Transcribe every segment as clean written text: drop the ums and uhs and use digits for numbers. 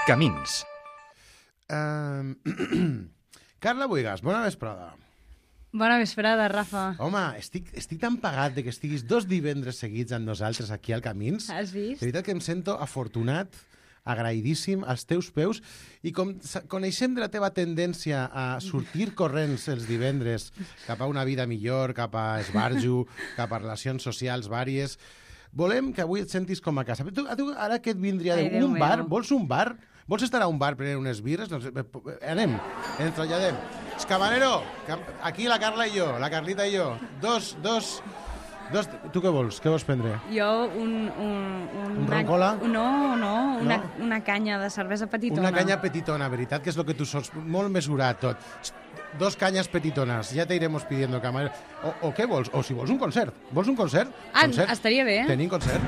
Camins. Carla Buigas, bona vesprada. Bona vesprada, Rafa. Home, estic tan pagat de que estiguis 2 divendres seguits amb nosaltres aquí al Camins. Has vist? De veritat que em sento afortunat, agraïdíssim als teus peus, i com coneixem de la teva tendència a sortir corrents els divendres cap a una vida millor, cap a esbarjo, cap a relacions socials vàries, volem que avui et sentis com a casa. Tu, ara que et vindria un bar, vols un bar? Vols estar a un bar prenent unes birres? Doncs anem, ens traslladem. Camarero, aquí la Carla i jo, la Carlita i jo. Dos. Tu què vols? Què vols prendre? Jo Un ron cola? No, una canya de cervesa petitona. Una canya petitona, veritat, que és el que tu sols, molt mesurat tot. 2 canyes petitonas, ya te iremos pidiendo, camarero. O què vols? O si vols un concert. Vols un concert? Estaria bé. Tenim concert.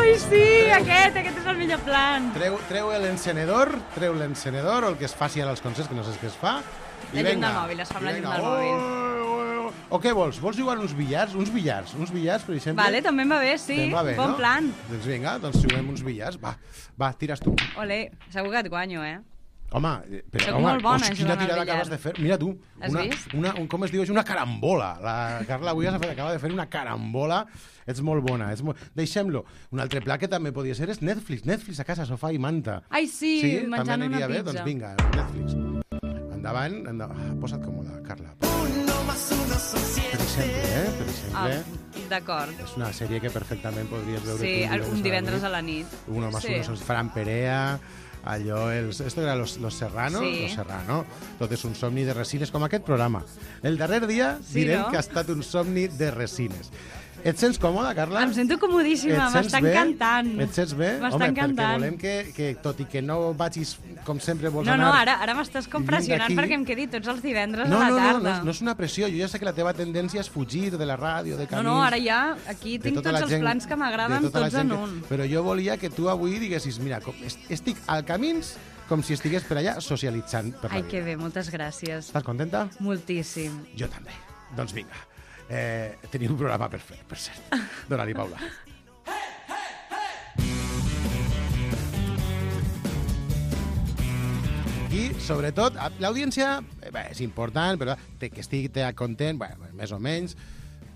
Ai, sí, aquest és el millor plan. Treu l'encenedor, o el que es faci ara als concerts, que no sé què es fa. La llum del mòbil, es fa amb la llum del mòbil. O què vols? Vols jugar uns billars? Uns billars, per exemple? Vale, també em va bé, sí. Bon plan. Doncs vinga, juguem uns billars. Va, tires tu. Olé, segur que et guanyo, Home, soc molt bona quina tirada acabes de fer. Mira tu, has vist? Com es diu? És una carambola. La Carla avui acaba de fer una carambola. Ets molt bona. Deixem-lo. Un altre pla que també podria ser és Netflix a casa, sofà i manta. Ai, sí, menjant una pizza. Bé? Doncs vinga, Netflix. Endavant. Posa't còmoda, Carla. Per exemple. D'acord. És una sèrie que perfectament podries veure un divendres a la nit. Uno más uno son Fran Perea, allò, esto era los Serrano, sí. Los Serrano, tot és un somni de resines, com aquest programa. El darrer dia direm que ha estat un somni de resines. Et sents còmoda, Carla? Em sento comodíssima, m'està encantant. Et sents bé? M'està encantant. Home, perquè volem que tot i que no vagis com sempre vols anar... No, ara m'estàs com pressionant perquè em quedi tots els divendres a la tarda. No és una pressió. Jo ja sé que la teva tendència és fugir de la ràdio, de camins... No, ara ja, aquí tinc tots els plans que m'agraden, tots en un. Però jo volia que tu avui diguessis, mira, estic al Camins com si estigués per allà socialitzant per la vida. Ai, que bé, moltes gràcies. Estàs contenta? Moltíssim. Jo també. Doncs vinga. Teniu un programa per fer, per cert. Dóna-li, Paula. I, sobretot, l'audiència és important, però que estigui content, més o menys,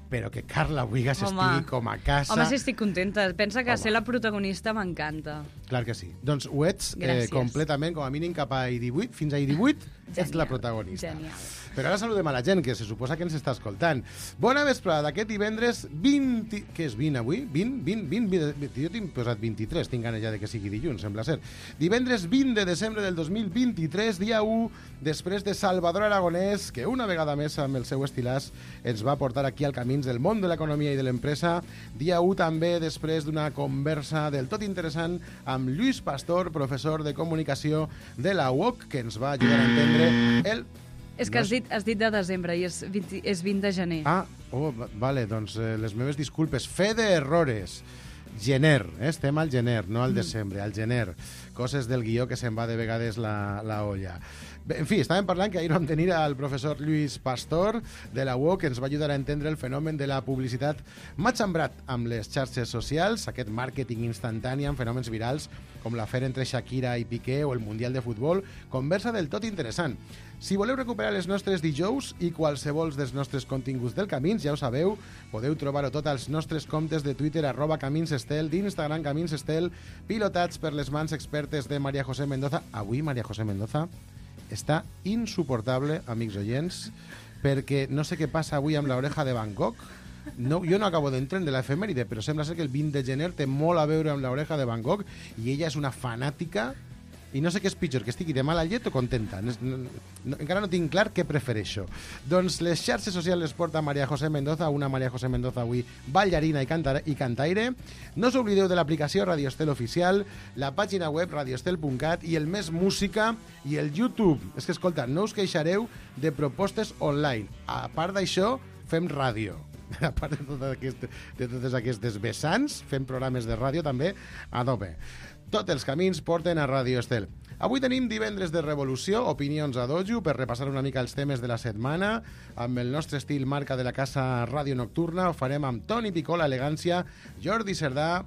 però que Carla Buigas estigui com a casa... Home, sí, estic contenta. Pensa que ser la protagonista m'encanta. Clar que sí. Doncs ho ets completament, com a mínim cap a I18, fins a I18 ets la protagonista. Genial. Però ara saludem a la gent, que se suposa que ens està escoltant. Bona vesprada d'aquest divendres 20... Què és 20 avui? 20? Jo tinc posat 23, tinc ganes ja de que sigui dilluns, sembla ser. Divendres 20 de desembre del 2023, dia 1, després de Salvador Aragonès, que una vegada més amb el seu estilàs ens va portar aquí al Camins del món de l'economia i de l'empresa. Dia 1 també després d'una conversa del tot interessant amb Lluís Pastor, professor de comunicació de la UOC, que ens va ajudar a entendre el... És que has dit de desembre i és 20 de gener. Vale, doncs les meves disculpes. Fe d'errores. Gener, estem al gener, no al desembre, al gener. Coses del guió que se'n va de vegades la olla. En fi, estàvem parlant que ahir vam tenir al professor Lluís Pastor de la UOC, que ens va ajudar a entendre el fenomen de la publicitat matxembrat amb les xarxes socials, aquest màrqueting instantani amb fenòmens virals com l'afer entre Shakira i Piqué o el Mundial de Futbol. Conversa del tot interessant. Si voleu recuperar les nostres dijous i qualsevol dels nostres continguts del Camins, ja ho sabeu, podeu trobar-ho tot als nostres comptes de Twitter, @CaminsEstel, d'Instagram CaminsEstel, pilotats per les mans expertes de María José Mendoza. Avui María José Mendoza està insuportable, amics oients, perquè no sé què passa avui amb l'oreja de Van Gogh. No, jo no acabo d'entendre l'efemèride, però sembla ser que el 20 de gener té molt a veure amb l'oreja de Van Gogh i ella és una fanàtica i no sé què és pitjor, que estigui de mala llet o contenta. Encara no tinc clar què prefereixo. Doncs les xarxes socials les porta María José Mendoza, una María José Mendoza avui ballarina i cantaire. No us oblideu de l'aplicació Radio Estel Oficial, la pàgina web radioestel.cat i el Més Música i el YouTube. És que, escolta, no us queixareu de propostes online. A part d'això, fem ràdio. A part de totes aquestes vessants, fem programes de ràdio també a tope. Tots els camins porten a Radio Estel. Avui tenim divendres de revolució, opinions a dojo, per repassar una mica els temes de la setmana. Amb el nostre estil marca de la casa Ràdio Nocturna ho farem amb Toni Picó, l'elegància, Jordi Cerdà,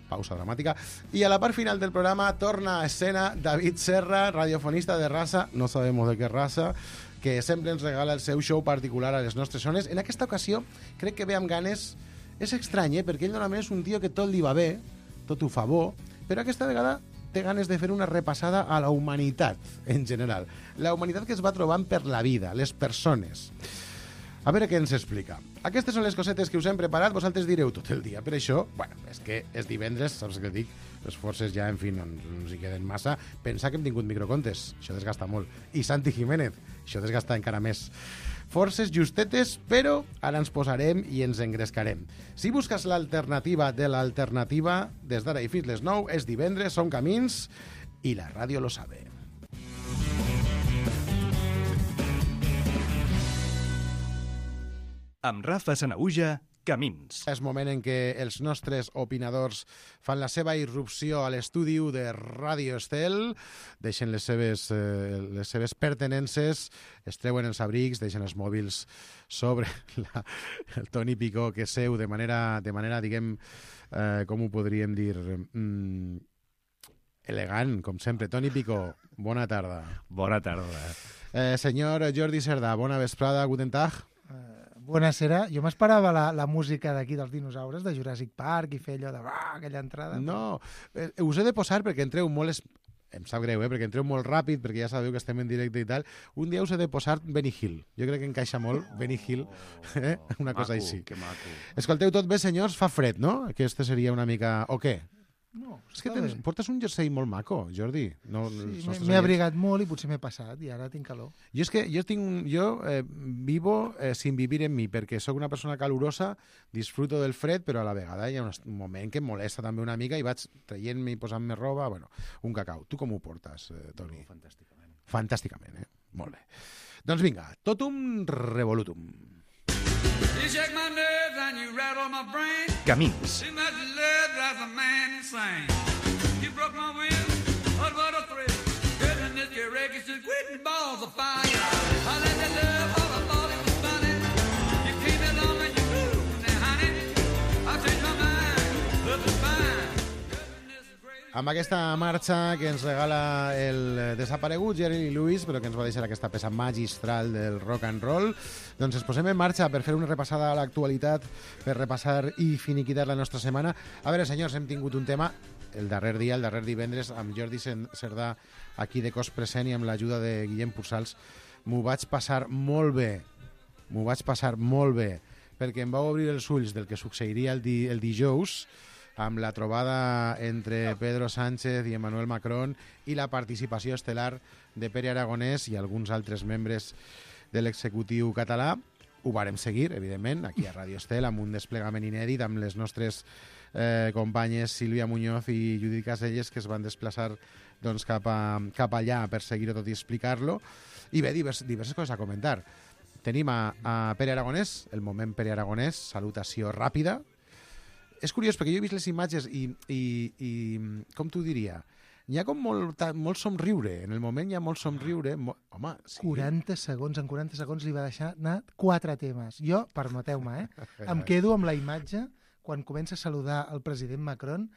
pausa dramàtica. I a la part final del programa torna a escena David Serra, radiofonista de raza, no sabemos de qué raza, que sempre ens regala el seu show particular a les nostres zones. En aquesta ocasió crec que ve amb ganes. És estrany, perquè ell normalment és un tio que tot li va bé, tot ho fa bo, però aquesta vegada té ganes de fer una repassada a la humanitat en general. La humanitat que es va trobant per la vida, les persones. A veure què ens explica. Aquestes són les cosetes que us hem preparat, vosaltres direu tot el dia. Per això, bueno, és que és divendres, saps què dic? Les forces ja, en fi, no ens hi queden massa. Pensa que hem tingut microcontes, això desgasta molt. I Santi Jiménez, això desgasta encara més. Forces justetes, però ara ens posarem i ens engrescarem. Si busques l'alternativa de l'alternativa, des d'ara i fins les 9, és divendres, som camins, i la ràdio lo sabe. Amb Rafa Sanahuja, Camins. És moment en què els nostres opinadors fan la seva irrupció a l'estudi de Ràdio Estel, deixen les seves pertenences, es treuen els abrics, deixen els mòbils sobre el Toni Picó, que seu de manera diguem, com ho podríem dir, elegant, com sempre. Toni Picó, bona tarda. Bona tarda. Senyor Jordi Cerdà, bona vesprada, guten tag. Buonasera. Jo m'esperava la música d'aquí dels dinosaures, de Jurassic Park, i fer allò de aquella entrada. No, us he de posar perquè entreu molt... Em sap greu, perquè entreu molt ràpid, perquè ja sabeu que estem en directe i tal. Un dia us he de posar Benny Hill. Jo crec que encaixa molt Benny Hill, una cosa així. Que maco. Escolteu tot bé, senyors? Fa fred, no? Aquesta seria una mica... O què? No, És que portes un jersei molt maco, Jordi. No, sí, m'he abrigat molt i potser m'he passat i ara tinc calor. Jo vivo sin vivir en mi, perquè sóc una persona calurosa, disfruto del fred, però a la vegada hi ha un moment que em molesta també una mica i vaig traient-me i posant-me roba, bueno, un cacau. Tu com ho portes, Toni? Fantàsticament. Fantàsticament, Molt bé. Doncs vinga, totum revolutum. You shake my nerves and you rattle my brain. Camins. Too much love drives a man insane. You broke my will, what a thrill. Goodness, your wreckage is quitting balls of fire. I let you love all I thought it was funny. You came along and you moved, now honey, I changed my mind, love is fine. Goodness is great. Amb aquesta marxa que ens regala el desaparegut Jerry Lee Lewis, però que ens va deixar aquesta peça magistral del rock and roll, doncs ens posem en marxa per fer una repassada a l'actualitat, per repassar i finiquitar la nostra setmana. A veure, senyors, hem tingut un tema el darrer divendres, amb Jordi Cerdà aquí de cos present i amb l'ajuda de Guillem Pursals. M'ho vaig passar molt bé, perquè em va obrir els ulls del que succeiria el dijous, amb la trobada entre Pedro Sánchez i Emmanuel Macron i la participació estel·lar de Pere Aragonès i alguns altres membres de l'executiu català. Ho vàrem seguir, evidentment, aquí a Ràdio Estel, amb un desplegament inèdit, amb les nostres companyes Sílvia Muñoz i Judit Caselles, que es van desplaçar doncs, cap allà per seguir-ho tot i explicar-lo. I bé, diverses coses a comentar. Tenim a Pere Aragonès, el moment Pere Aragonès, salutació ràpida. És curiós, perquè jo he vist les imatges i com t'ho diria, hi ha com molt somriure, en el moment hi ha molt somriure. Home, sí. 40 segons li va deixar anar 4 temes. Jo, permeteu-me, em quedo amb la imatge quan comença a saludar el president Macron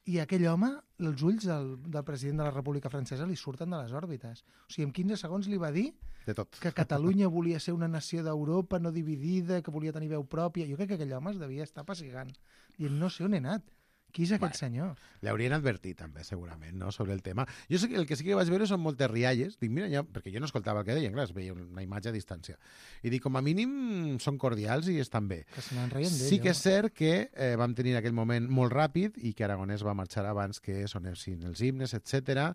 i aquell home, els ulls del president de la República Francesa li surten de les òrbites. O sigui, en 15 segons li va dir de tot. Que Catalunya volia ser una nació d'Europa no dividida, que volia tenir veu pròpia. Jo crec que aquell home es devia estar pessigant, dient, no sé on he anat. Qui és aquest senyor? L'haurien advertit també, segurament, no?, sobre el tema. Jo sé que el que sí que vaig veure són moltes rialles. Dic, mira, perquè jo no escoltava el que deien, clar, es veia una imatge a distància. I dic, com a mínim són cordials i estan bé. Que se n'en reien d'ell. Sí que és cert que vam tenir aquell moment molt ràpid i que Aragonès va marxar abans que sonessin els himnes, etc.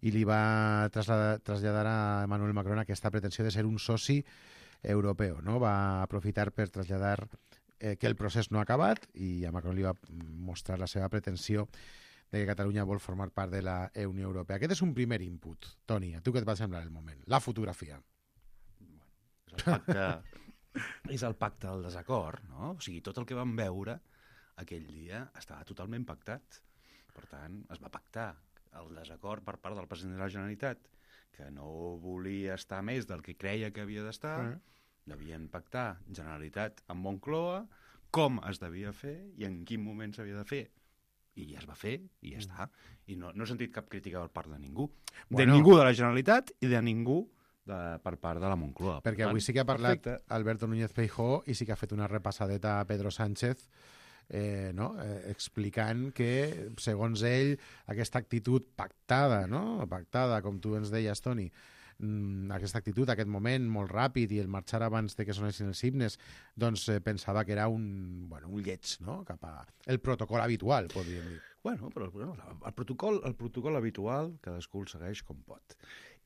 I li va traslladar a Emmanuel Macron aquesta pretensió de ser un soci europeu, no? Va aprofitar per traslladar que el procés no ha acabat i a Macron li va mostrar la seva pretensió de que Catalunya vol formar part de la Unió Europea. Aquest és un primer input. Toni, a tu què et va semblar el moment? La fotografia. És el pacte del desacord, no? O sigui, tot el que vam veure aquell dia estava totalment pactat. Per tant, es va pactar el desacord per part del president de la Generalitat, que no volia estar més del que creia que havia d'estar, devien pactar Generalitat amb Moncloa, com es devia fer i en quin moment s'havia de fer. I ja es va fer, i ja està. I no he sentit cap crítica per part de ningú. Bueno. De ningú de la Generalitat i de ningú per part de la Moncloa. Perquè avui sí que ha parlat Alberto Núñez Feijóo i sí que ha fet una repassadeta a Pedro Sánchez explicant que, segons ell, aquesta actitud pactada, com tu ens deies, Toni, aquesta actitud, aquest moment molt ràpid i el marxar abans de que sonessin els himnes, doncs pensava que era un lleig, no?, cap a el protocol habitual, podríem dir. Bueno, però el protocol habitual cadascú el segueix com pot.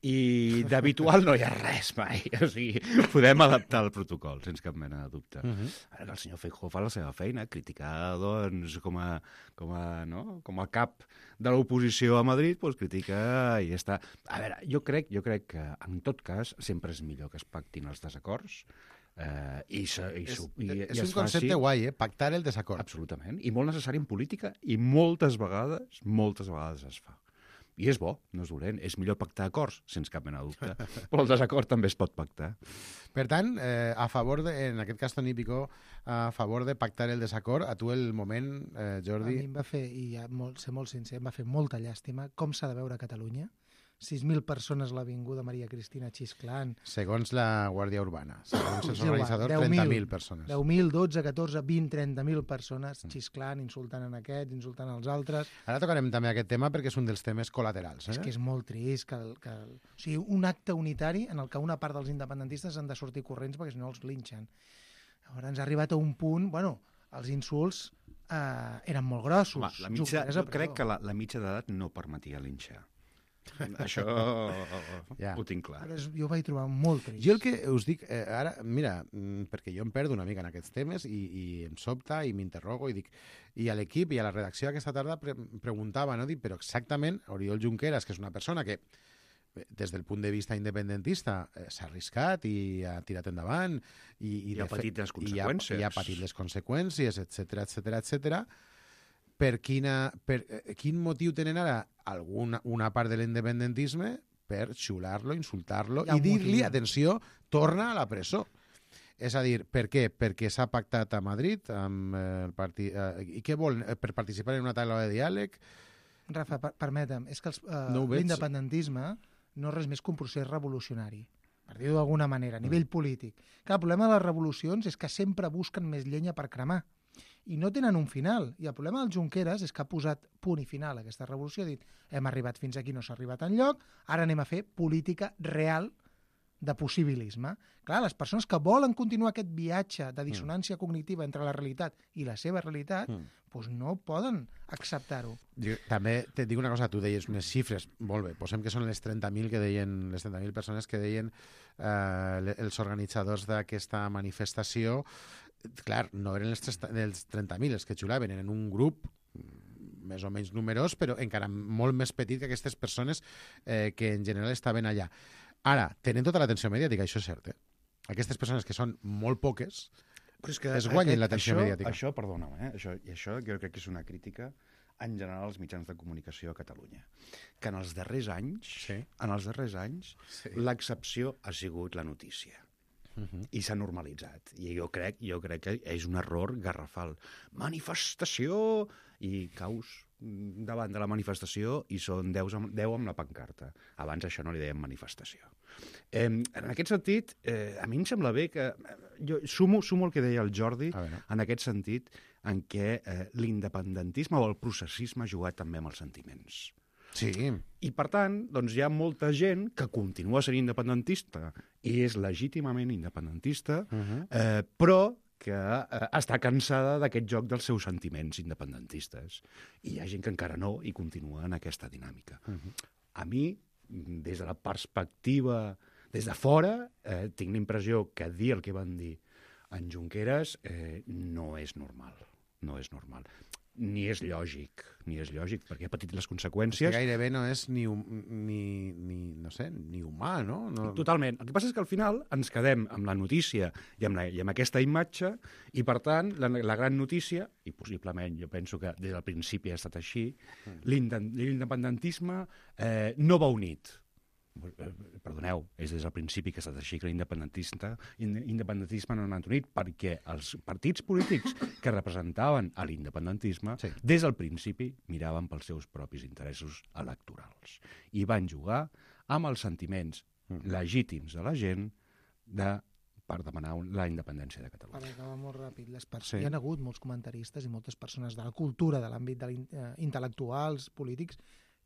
I d'habitual no hi ha res mai. O sigui, podem adaptar el protocol, sense cap mena de dubte. Ara que el senyor Feijóo fa la seva feina, criticar, doncs, com a cap de l'oposició a Madrid, doncs critica i ja està. A veure, jo crec que, en tot cas, sempre és millor que es pactin els desacords, és un concepte guai, pactar el desacord. Absolutament, i molt necessari en política, i moltes vegades es fa. I és bo, no és dolent. És millor pactar acords, sense cap mena de dubte. Però el desacord també es pot pactar. Per tant, a favor en aquest cas, Toni Picó, a favor de pactar el desacord, a tu el moment, Jordi... A mi em va fer, i ser molt sincer, em va fer molta llàstima com s'ha de veure Catalunya. 6.000 persones a l'Avinguda Maria Cristina xisclant. Segons la Guàrdia Urbana. Segons els organitzadors, 30.000 persones. 10.000, 12, 14, 20, 30.000 persones xisclant, insultant en aquest, insultant als altres. Ara tocarem també aquest tema perquè és un dels temes col·laterals. És que és molt trist o sigui, un acte unitari en el que una part dels independentistes han de sortir corrents perquè si no els linxen. Llavors ens ha arribat a un punt... els insults eren molt grossos. Jo crec que la mitja d'edat no permetia linxar. Això ho tinc clar. Jo ho vaig trobar molt trist. Jo el que us dic, ara, mira, perquè jo em perdo una mica en aquests temes i em sobta i m'interrogo i dic, i a l'equip i a la redacció aquesta tarda preguntava, no? Dic, però exactament, Oriol Junqueras, que és una persona que des del punt de vista independentista s'ha arriscat i ha tirat endavant i ha patit les conseqüències. I ha patit les conseqüències, etcètera. Per quin motiu tenen ara una part de l'independentisme per xular-lo, insultar-lo i dir-li, atenció, torna a la presó. És a dir, per què? Perquè s'ha pactat a Madrid amb el partit... I què vol? Per participar en una taula de diàleg? Rafa, permetem, és que l'independentisme no és res més que un procés revolucionari, per dir-ho d'alguna manera, a nivell polític. Clar, el problema de les revolucions és que sempre busquen més llenya per cremar i no tenen un final. I el problema del Junqueras és que ha posat punt i final a aquesta revolució, ha dit, hem arribat fins aquí, no s'ha arribat enlloc, ara anem a fer política real de possibilisme. Clar, les persones que volen continuar aquest viatge de dissonància cognitiva entre la realitat i la seva realitat, doncs no poden acceptar-ho. També te dic una cosa, tu deies unes xifres, molt bé, posem que són les 30.000 que deien, les 30.000 persones que deien els organitzadors d'aquesta manifestació. Clar, no eren els 30.000 els que xulaven, eren un grup més o menys numerós, però encara molt més petit que aquestes persones que en general estaven allà. Ara, tenen tota l'atenció mediàtica, això és cert, Aquestes persones que són molt poques es guanyen l'atenció mediàtica. Això, perdona'm, això jo crec que és una crítica en general als mitjans de comunicació a Catalunya. Que en els darrers anys, l'excepció ha sigut la notícia. I s'ha normalitzat. I jo crec que és un error garrafal. Manifestació! I caus davant de la manifestació i són 10 amb la pancarta. Abans això no li dèiem manifestació. En aquest sentit, a mi em sembla bé que... Jo sumo el que deia el Jordi en aquest sentit en què l'independentisme o el processisme ha jugat també amb els sentiments. Sí. I, per tant, doncs hi ha molta gent que continua sent independentista i és legítimament independentista, però que està cansada d'aquest joc dels seus sentiments independentistes. I hi ha gent que encara no i continua en aquesta dinàmica. A mi, des de la perspectiva, des de fora, tinc la impressió que dir el que van dir en Junqueras no és normal. No és normal. Ni és lògic, perquè ha patit les conseqüències. És que gairebé no és ni humà, no? Totalment. El que passa és que al final ens quedem amb la notícia i amb aquesta imatge, i per tant la gran notícia, i possiblement jo penso que des del principi ha estat així, l'independentisme no va unit. Perdoneu, és des del principi que ha estat així que l'independentisme no ha anat unit, perquè els partits polítics que representaven a l'independentisme, des del principi miraven pels seus propis interessos electorals i van jugar amb els sentiments legítims de la gent per demanar la independència de Catalunya. Per acabar molt ràpid, hi ha hagut molts comentaristes i moltes persones de la cultura, de l'àmbit intel·lectuals, polítics,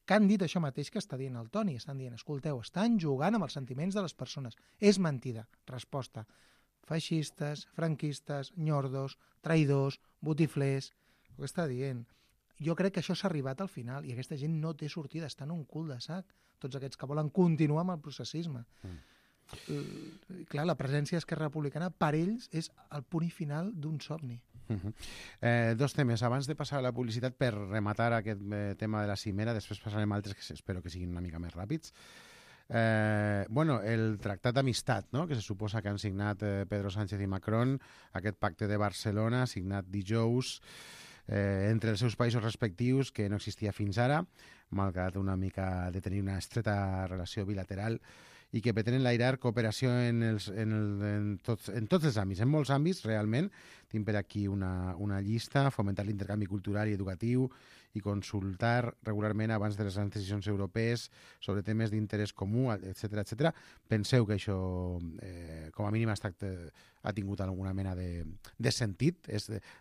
que han dit això mateix que està dient el Toni. Estan dient, escolteu, estan jugant amb els sentiments de les persones. És mentida. Resposta. Feixistes, franquistes, nyordos, traïdors, botiflers... Ho que està dient. Jo crec que això s'ha arribat al final i aquesta gent no té sortida, està en un cul de sac. Tots aquests que volen continuar amb el processisme. Clar, la presència d'Esquerra Republicana per ells és el punt i final d'un somni. Dos temes. Abans de passar a la publicitat per rematar aquest tema de la cimera, després passarem a altres que espero que siguin una mica més ràpids. El tractat d'amistat, no?, que se suposa que han signat Pedro Sánchez i Macron, aquest pacte de Barcelona signat dijous entre els seus països respectius, que no existia fins ara, malgrat una mica de tenir una estreta relació bilateral, i que pretenen enlairar cooperació en tots els àmbits, en molts àmbits, realment. Tinc per aquí una llista: fomentar l'intercanvi cultural i educatiu i consultar regularment abans de les grans decisions europees sobre temes d'interès comú, etc. Penseu que això, com a mínim, ha tingut alguna mena de sentit?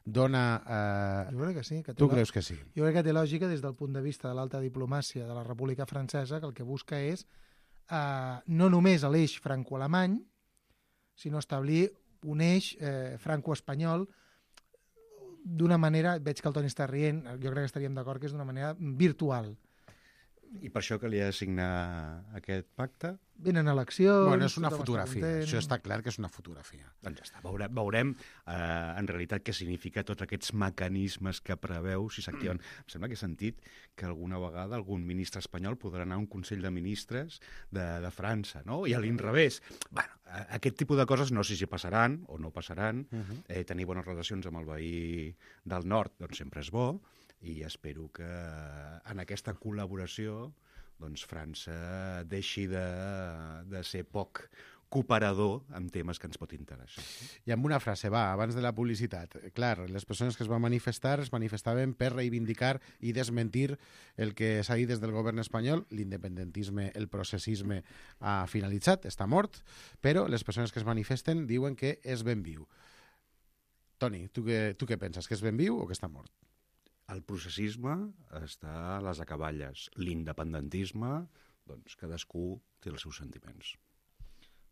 Dona... Jo crec que sí. Tu creus que sí? Jo crec que té lògica des del punt de vista de l'alta diplomàcia de la República Francesa, que el que busca és no només l'eix franco-alemany, sinó establir un eix franco-espanyol d'una manera, veig que el Toni està rient, jo crec que estaríem d'acord que és d'una manera virtual. I per això que li ha de signar aquest pacte? Venen eleccions... Bueno, és una fotografia, això està clar que és una fotografia. Doncs ja està, veurem en realitat què significa tots aquests mecanismes que preveu si s'activen. Em sembla que he sentit que alguna vegada algun ministre espanyol podrà anar a un Consell de Ministres de França, no? I a l'inrevés. Bueno, aquest tipus de coses no sé si passaran o no passaran. Tenir bones relacions amb el veí del nord doncs sempre és bo, i espero que en aquesta col·laboració doncs França deixi de ser poc cooperador en temes que ens pot interessar. I amb una frase, abans de la publicitat. Clar, les persones que es van manifestar es manifestaven per reivindicar i desmentir el que s'ha dit des del govern espanyol. L'independentisme, el processisme ha finalitzat, està mort, però les persones que es manifesten diuen que és ben viu. Toni, tu què penses? Que és ben viu o que està mort? El processisme està a les acaballes. L'independentisme, doncs cadascú té els seus sentiments.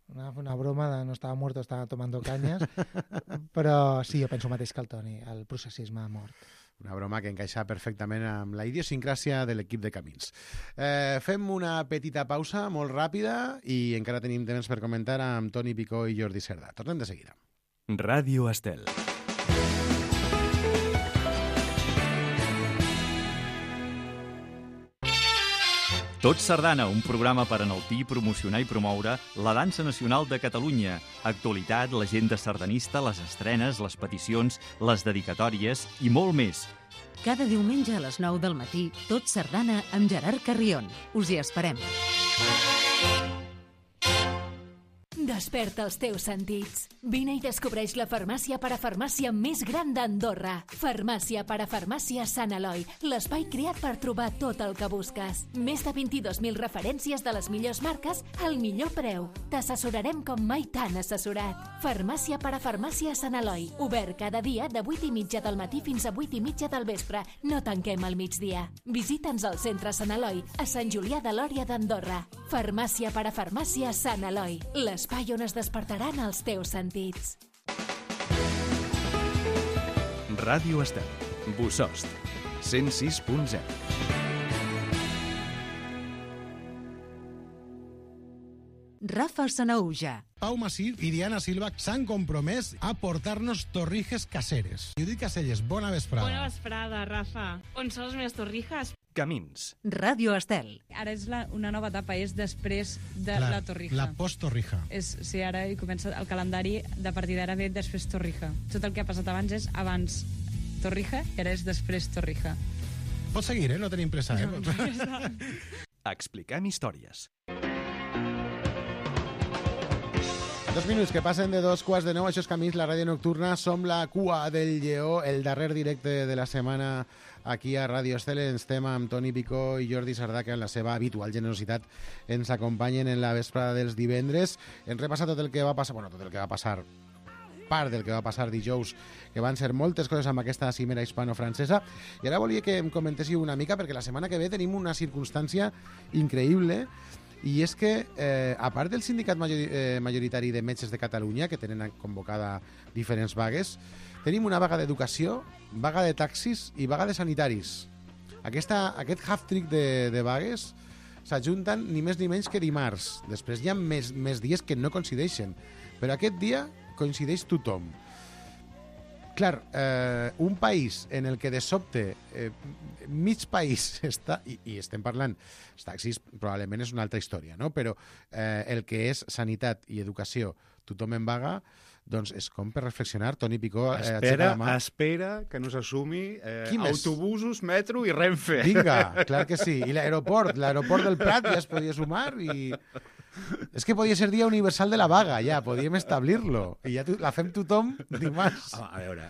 Una broma de no estava mort o estava tomando canyes, però sí, jo penso el mateix que el Toni, el processisme ha mort. Una broma que encaixa perfectament amb la idiosincràsia de l'equip de Camins. Fem una petita pausa molt ràpida i encara tenim temps per comentar amb Toni Picó i Jordi Cerdà. Tornem de seguida. Ràdio Estel. Tot Sardana, un programa per enaltir, promocionar i promoure la dansa nacional de Catalunya. Actualitat, l'agenda sardanista, les estrenes, les peticions, les dedicatòries i molt més. Cada diumenge a les 9 del matí, Tot Sardana amb Gerard Carrion. Us hi esperem. Desperta els teus sentits. Vine i descobreix la farmàcia parafarmàcia més gran d'Andorra. Farmàcia parafarmàcia Sant Eloi, l'espai creat per trobar tot el que busques. Més de 22.000 referències de les millors marques al millor preu. T'assessorarem com mai t'han assessorat. Farmàcia parafarmàcia Sant Eloi, obert cada dia de 8:30 del matí fins a 8:30 del vespre. No tanquem al migdia. Visita'ns al centre Sant Eloi, a Sant Julià de Lòria d'Andorra. Farmàcia parafarmàcia Sant Eloi, l'espai on es despertaran els teus sentits. Ràdio Estel, Bossòst, 106.0. Rafa Sanaúja. Pau Masip i Diana Silva s'han compromès a portar-nos torrijes caseres. Judit Caselles, bona vesprada. Bona vesprada, Rafa. On són les meves torrijas? Camins. Ràdio Estel. Ara és una nova etapa, és després de la torrija. La post-torrija. Sí, ara hi comença el calendari, de partir d'ara ve després torrija. Tot el que ha passat abans és abans torrija i ara és després torrija. Pots seguir, no tenim pressa, Expliquem històries. 2 minuts que passen de 2:15, això és Camins, la ràdio nocturna. Som la cua del lleó, el darrer directe de la setmana aquí a Ràdio Estel. Estem amb Toni Picó i Jordi Sardà, que en la seva habitual generositat ens acompanyen en la vesprada dels divendres. Hem repassat tot el que va passar, tot el que va passar, part del que va passar dijous, que van ser moltes coses amb aquesta cimera hispano-francesa. I ara volia que em comentéssiu una mica, perquè la setmana que ve tenim una circumstància increïble, i és que, a part del sindicat majoritari de metges de Catalunya, que tenen convocada diferents vagues, tenim una vaga d'educació, vaga de taxis i vaga de sanitaris. Aquest half-trick de vagues s'ajunten ni més ni menys que dimarts. Després hi ha més dies que no coincideixen, però aquest dia coincideix tothom. Clar, un país en el que de sobte mig país està, i estem parlant, els taxis probablement és una altra història, no? Però el que és sanitat i educació, tothom en vaga, doncs és com per reflexionar. Toni Picó, espera que no s'assumi autobusos, metro i Renfe. Vinga, clar que sí. I l'aeroport del Prat ja es podia sumar i... És que podia ser dia universal de la vaga, ja, podíem establir-lo. I ja la fem tothom dimarts. A veure,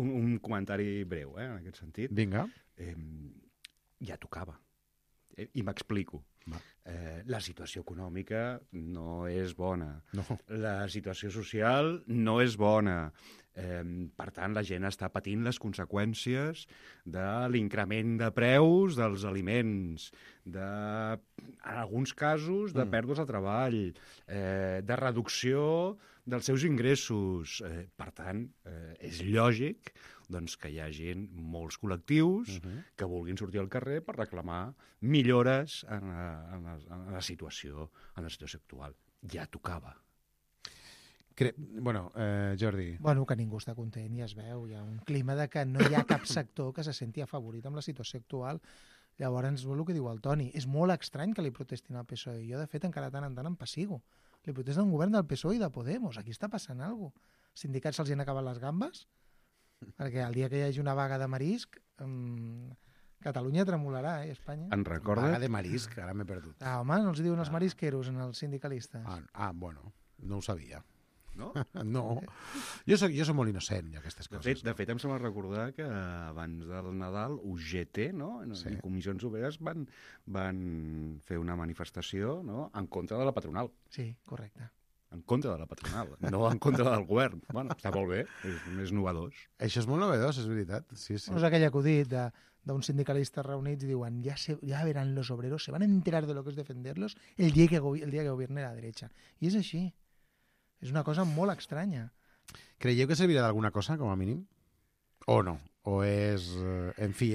un comentari breu, en aquest sentit. Vinga. Ja tocava. I m'explico. La situació econòmica no és bona. No. La situació social no és bona. Per tant, la gent està patint les conseqüències de l'increment de preus dels aliments, en alguns casos, de pèrdues de treball, de reducció dels seus ingressos. Per tant, és lògic doncs, que hi hagi molts col·lectius que vulguin sortir al carrer per reclamar millores en la situació actual. Ja tocava. Jordi. Que ningú està content i es veu. Hi ha un clima de que no hi ha cap sector que se senti afavorit amb la situació actual. Llavors, el que diu el Toni, és molt estrany que li protestin al PSOE. Jo, de fet, encara tant en tant em passigo. Li protesten un govern del PSOE i de Podemos. Aquí està passant alguna cosa. Els sindicats se'ls han acabat les gambes? Perquè el dia que hi hagi una vaga de marisc, Catalunya tremolarà, Espanya. En recorda? Vaga de marisc, ara m'he perdut. Home, no els diuen els marisqueros en els sindicalistes. No ho sabia. No? No. Jo soc molt innocent i aquestes coses. De fet, em sembla recordar que abans del Nadal, UGT, no? I Comissions Obreres van fer una manifestació, no? En contra de la patronal. Sí, correcte. En contra de la patronal, no en contra del govern. Bueno, està molt bé, és novedós. Això és molt novedós, és veritat. Sí. No és aquell acudit d'uns sindicalistes reunits i diuen ya verán los obreros, se van a enterar de lo que es defenderlos el día que gobierne la derecha. I és així. És una cosa molt estranya. Creieu que servirà d'alguna cosa, com a mínim? O no? O és... En fi,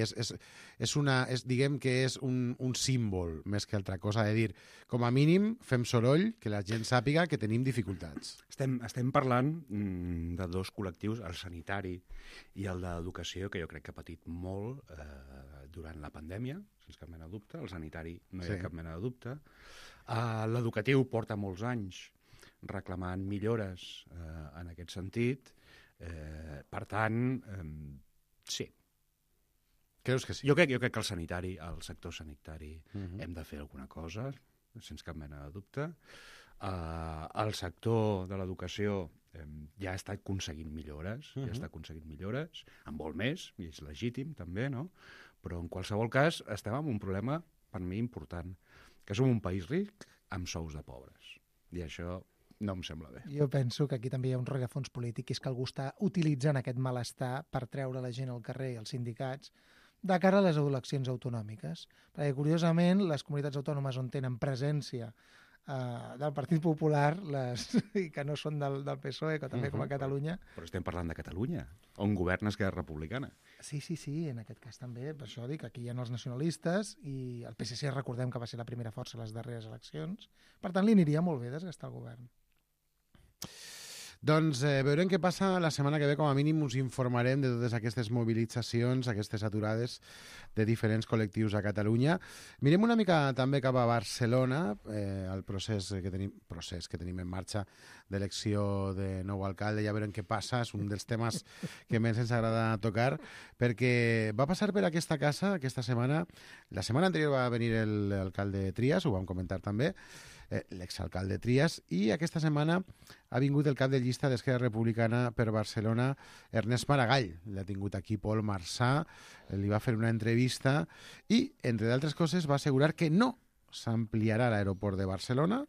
diguem que és un símbol més que altra cosa, de dir, com a mínim fem soroll, que la gent sàpiga que tenim dificultats. Estem parlant de dos col·lectius, el sanitari i el d'educació, que jo crec que ha patit molt durant la pandèmia, sense cap mena de dubte. El sanitari no hi ha cap mena de dubte. L'educatiu porta molts anys reclamant millores en aquest sentit. Per tant, sí. Creus que sí? Jo crec que el sector sanitari hem de fer alguna cosa, sense cap mena de dubte. El sector de l'educació ja ha estat aconseguint millores, en vol més, i és legítim també, no? Però en qualsevol cas estem en un problema, per mi, important, que som un país ric amb sous de pobres. I això no em sembla bé. Jo penso que aquí també hi ha un rerefons polític, que és que algú està utilitzant aquest malestar per treure la gent al carrer i els sindicats de cara a les eleccions autonòmiques. Perquè, curiosament, les comunitats autònomes on tenen presència del Partit Popular i que no són del PSOE, que també com a Catalunya... Però estem parlant de Catalunya, on governa Esquerra Republicana. Sí, en aquest cas també. Per això dic, aquí hi ha els nacionalistes i el PSC, recordem que va ser la primera força a les darreres eleccions. Per tant, li aniria molt bé desgastar el govern. Doncs veurem què passa la setmana que ve. Com a mínim us informarem de totes aquestes mobilitzacions, aquestes aturades de diferents col·lectius a Catalunya. Mirem una mica també cap a Barcelona, el procés que tenim en marxa d'elecció de nou alcalde. Ja veurem què passa, és un dels temes que més ens agrada tocar, perquè va passar per aquesta casa aquesta setmana. La setmana anterior va venir l'alcalde Trias, ho vam comentar també, l'exalcalde Trias, i aquesta setmana ha vingut el cap de llista d'Esquerra Republicana per Barcelona, Ernest Maragall. L'ha tingut aquí Pol Marsà, li va fer una entrevista i, entre d'altres coses, va assegurar que no s'ampliarà l'aeroport de Barcelona,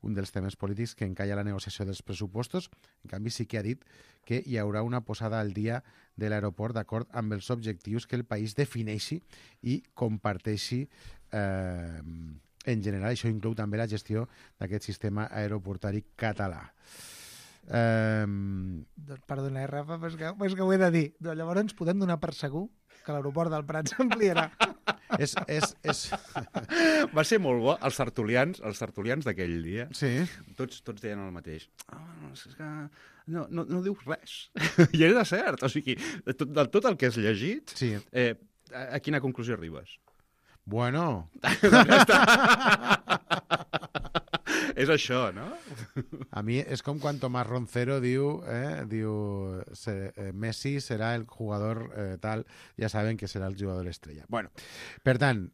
un dels temes polítics que encalla la negociació dels pressupostos. En canvi, sí que ha dit que hi haurà una posada al dia de l'aeroport d'acord amb els objectius que el país defineixi i comparteixi en general. Això inclou també la gestió d'aquest sistema aeroportari català. Doncs perdona, Rafa, però és que ho he de dir. Doncs llavors ens podem donar per segur que l'aeroport del Prat s'ampliarà. Va ser molt bo. Els tertulians d'aquell dia, sí. tots deien el mateix. És que no dius res. I era cert. O sigui, de tot el que has llegit, sí. A quina conclusió arribes? Bueno. És això, no? A mi és com quan Tomás Roncero diu Messi serà el jugador tal, ja saben que serà el jugador estrella. Bueno, per tant,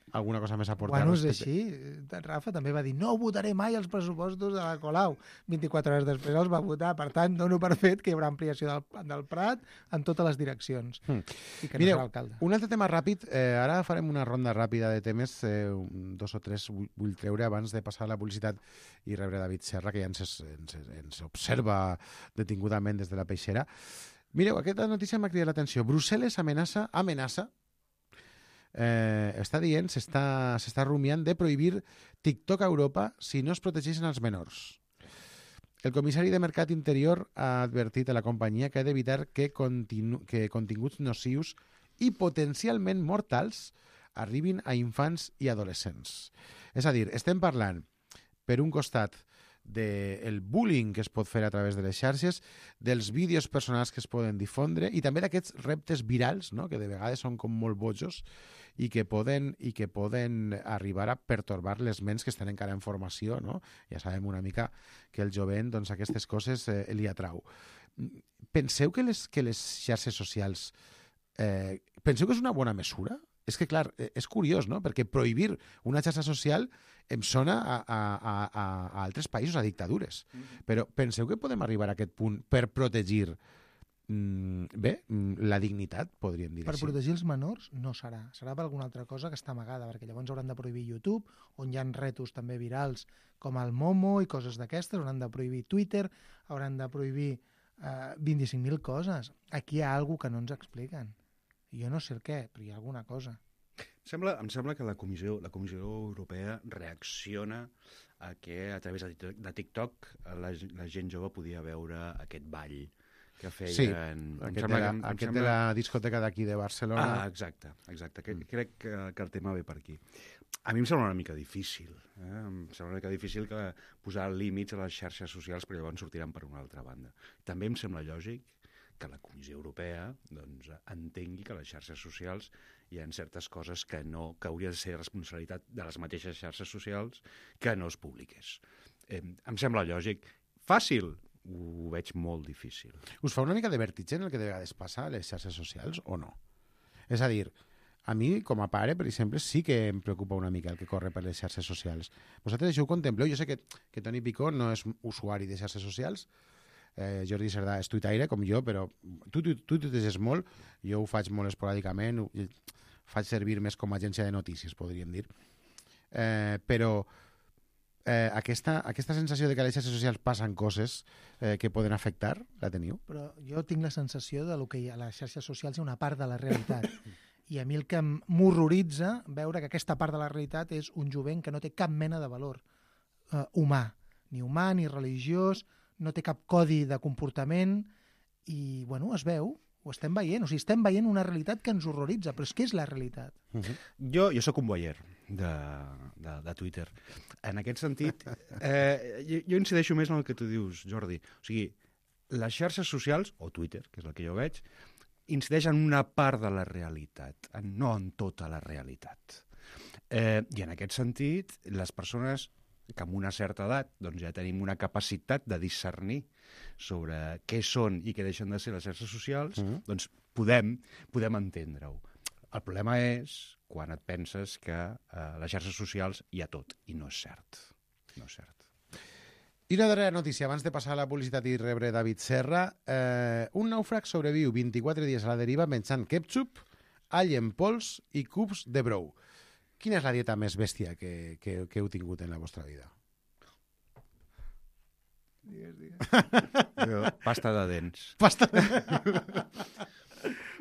alguna cosa més a aportar? Bueno, és així. Rafa també va dir no votaré mai els pressupostos de la Colau. 24 hores després els va votar. Per tant, dono per fet que hi haurà ampliació del Prat en totes les direccions. I que no serà alcalde. Un altre tema ràpid. Ara farem una ronda ràpida de temes. 2 o 3 vull treure abans de passar a la publicitat i rebre David Serra, que ja ens observa detingudament des de la peixera. Mireu, aquesta notícia m'ha cridat l'atenció. Brussel·les amenaça està dient, s'està rumiant de prohibir TikTok a Europa si no es protegeixen els menors. El comissari de Mercat Interior ha advertit a la companyia que ha d'evitar que continguts nocius i potencialment mortals arribin a infants i adolescents. És a dir, estem parlant, per un costat, del bullying que es pot fer a través de les xarxes, dels vídeos personals que es poden difondre i també d'aquests reptes virals, no?, que de vegades són com molt bojos i que poden arribar a pertorbar les ments que estan encara en formació, no? Ja sabem una mica que el jovent, doncs, aquestes coses li atrau. Penseu que les xarxes socials penseu que és una bona mesura? És que, clar, és curiós, no? Perquè prohibir una xarxa social em sona a altres països, a dictadures. Però penseu que podem arribar a aquest punt per protegir la dignitat, podríem dir per així. Per protegir els menors no serà. Serà per alguna altra cosa que està amagada, perquè llavors hauran de prohibir YouTube, on hi ha retos també virals com el Momo i coses d'aquestes, hauran de prohibir Twitter, hauran de prohibir 25.000 coses. Aquí hi ha alguna cosa que no ens expliquen. Jo no sé el què, però hi ha alguna cosa. Em sembla que la Comissió Europea reacciona a que a través de TikTok la gent jove podia veure aquest ball que feien... Sí, aquest de la discoteca d'aquí de Barcelona. Exacte. Crec que el tema ve per aquí. A mi em sembla una mica difícil. Em sembla una mica difícil que posar límits a les xarxes socials, però llavors sortiran per una altra banda. També em sembla lògic que la Comissió Europea entengui que a les xarxes socials hi ha certes coses que hauria de ser responsabilitat de les mateixes xarxes socials que no es publiqués. Em sembla lògic. Fàcil? Ho veig molt difícil. Us fa una mica de vertigen el que de vegades passa a les xarxes socials o no? És a dir, a mi, com a pare, per exemple, sí que em preocupa una mica el que corre per les xarxes socials. Vosaltres això ho contempleu? Jo sé que Toni Picó no és usuari de xarxes socials, Jordi Cerdà és tuitaire, com jo, però tu tuiteges molt, jo ho faig molt esporàdicament, faig servir més com a agència de notícies, podríem dir. Però aquesta sensació de que a les xarxes socials passen coses que poden afectar, la teniu? Però jo tinc la sensació de que a les xarxes socials hi ha una part de la realitat. I a mi el que m'horroritza veure que aquesta part de la realitat és un jovent que no té cap mena de valor humà, ni religiós, no té cap codi de comportament i, bueno, es veu, ho estem veient. O sigui, estem veient una realitat que ens horroritza, però és que és la realitat. Jo sóc un voyeur de Twitter. En aquest sentit, jo incideixo més en el que tu dius, Jordi. O sigui, les xarxes socials, o Twitter, que és el que jo veig, incideix en una part de la realitat, no en tota la realitat. I en aquest sentit, les persones que amb una certa edat doncs ja tenim una capacitat de discernir sobre què són i què deixen de ser les xarxes socials, doncs podem entendre-ho. El problema és quan et penses que a les xarxes socials hi ha tot, i no és cert. No és cert. I una darrera notícia, abans de passar a la publicitat i rebre David Serra. Un nàufrag sobreviu 24 dies a la deriva menjant ketchup, all en pols i cubs de brou. Quina és la dieta més bèstia que heu tingut en la vostra vida? Pasta de dents. Pasta de...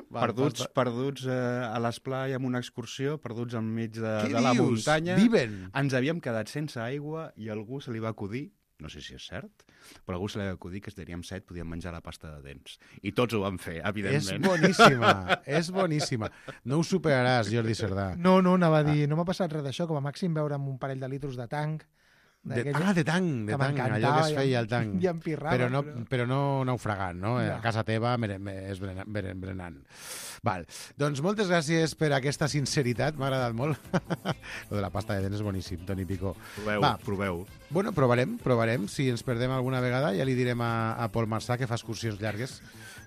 Perduts a l'esplai amb una excursió, perduts enmig de la dius? muntanya. Viven? Ens havíem quedat sense aigua i a algú se li va acudir, no sé si és cert, però a algú se li va acudir que si teníem set podíem menjar la pasta de dents. I tots ho van fer, evidentment. És boníssima, és boníssima. No ho superaràs, Jordi Cerdà. No, anava a dir, no m'ha passat res d'això, com a màxim veure'm un parell de litros de tanc. De tanc, allò que es feia al tanc. I empirrava. Però no naufragant, no? A casa teva és berenant. Val. Doncs moltes gràcies per aquesta sinceritat, m'ha agradat molt. Lo de la pasta de dents és boníssim, Toni Picó. Proveu. Bueno, provarem. Si ens perdem alguna vegada, ja li direm a Pol Marçà, que fa excursions llargues,